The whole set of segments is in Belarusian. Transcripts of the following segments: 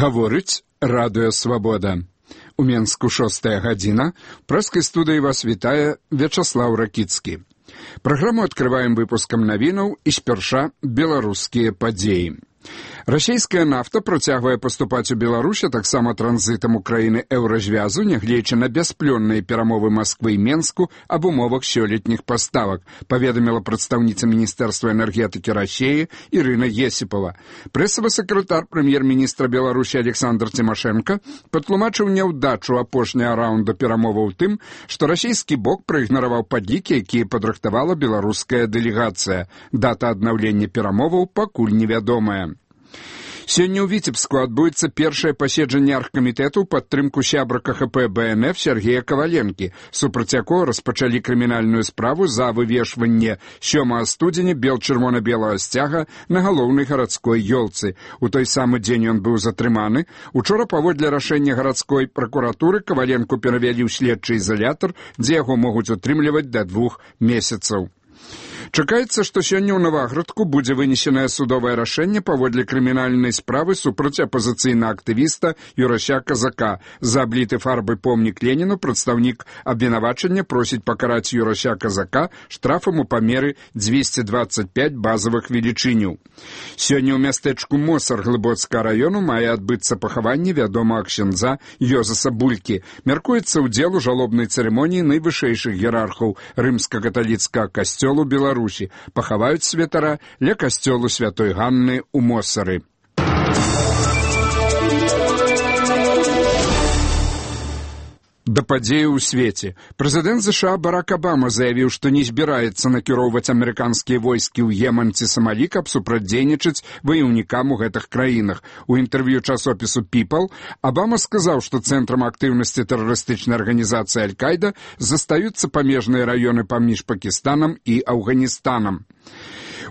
Гаворыць Радыё Свабода. У Менску 6 гадзіна. Прэскай студыі вас вітае Вячаслаў Ракіцкі. Праграму адкрываем выпускам навінаў і спярша беларускія падзеі. Расійская нафта працягвае паступаць у Беларусь, а таксама транзітам у краіны еўразвязу, нягледзячы на бясплённыя перамовы Масквы і Менску аб умовах сёлетніх паставак, паведаміла прадстаўніца Міністэрства энергетыкі Расіі Ірына Есіпова. Прэсавы сакратар прэм'ер-міністра Беларусі Александр Тимошенко патлумачыў няўдачу апошняга раунда перамоваў тым, што расійскі бок праігнараваў падлікі, якія падрыхтавала беларуская дэлегацыя. Дата аднаўлення перамоваў пакуль невядомая. Сёння ў Віцебску адбудзецца першае паседжанне аргкамітэту ў падтрымку сябра КХП БНФ Сергея Каваленкі, супраць якога распачалі крымінальную справу за вывешванне 7 студзеня бел-чырвона-белага сцяга на галоўнай гарадской ёлцы. У той самы дзень ён быў затрыманы. Учора паводле рашэння гарадской пракуратуры Каваленку перавялі ў следчы ізалятар, дзе яго могуць утрымліваць да 2 месяцаў. Чакаецца, што сёння ў Наваградку будзе вынесенае судовае рашэнне паводле крымінальнай справы супраць апазіцыйнага актывіста Юрася Казака. За абліты фарбай помнік Леніну прадстаўнік абвінавачання просіць пакараць Юрася Казака штрафам у памеры 225 базавых велічыняў. Сёння ў мястэчку Мосар Глыбоцкага раёну мае адбыцца пахаванне вядомага ксяндза Йозаса Булькі. Мяркуецца ўдзел у жалобнай цырымоніі найвышэйшых іерархаў рымска-каталіцкага касцёлу Беларусі. Пахаваюць святара ля касцёлу Святой Ганны ў Мосары. Да падзеяў у свеце. Прэзідэнт США Барак Абама заявіў, што не збіраецца накіроўваць амерыканскія войскі ў Еман ці Самалі, каб супрацьдзейнічаць ваяўнікам у гэтых краінах. У інтэрв'ю часопісу People Абама сказаў, што цэнтрам актыўнасці тэрарыстычнай арганізацыі Аль-Кайда застаюцца памежныя раёны паміж Пакістанам і Афганістанам.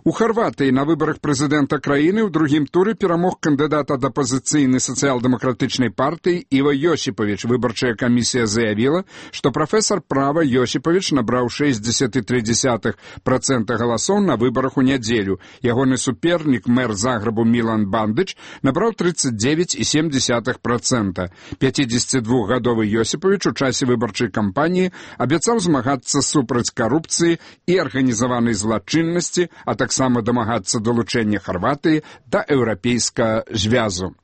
У Харватыі на выбарах прэзідэнта краіны ў другім туры перамог кандыдат ад апазіцыйнай сацыял-дэмакратычнай партыі Іва Йосіпавіч. Выбарчая камісія заявіла, што прафесар права Йосіпавіч набраў 6,3% галасоў на выбарах у нядзелю. Ягоны супернік, мэр Загребу Мілан Бандыч, набраў 39,7%. 52-гадовы Йосіпавіч у часе выбарчай кампаніі абяцаў змагацца супраць карупцыі і арганізаванай злачыннасці, а таксама дамагацца далучэння Харватыі да еўрапейскага звязу.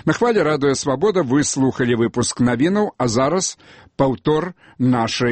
На хвалі Радыё Свабода вы слухалі выпуск навінаў, а зараз паўтор нашай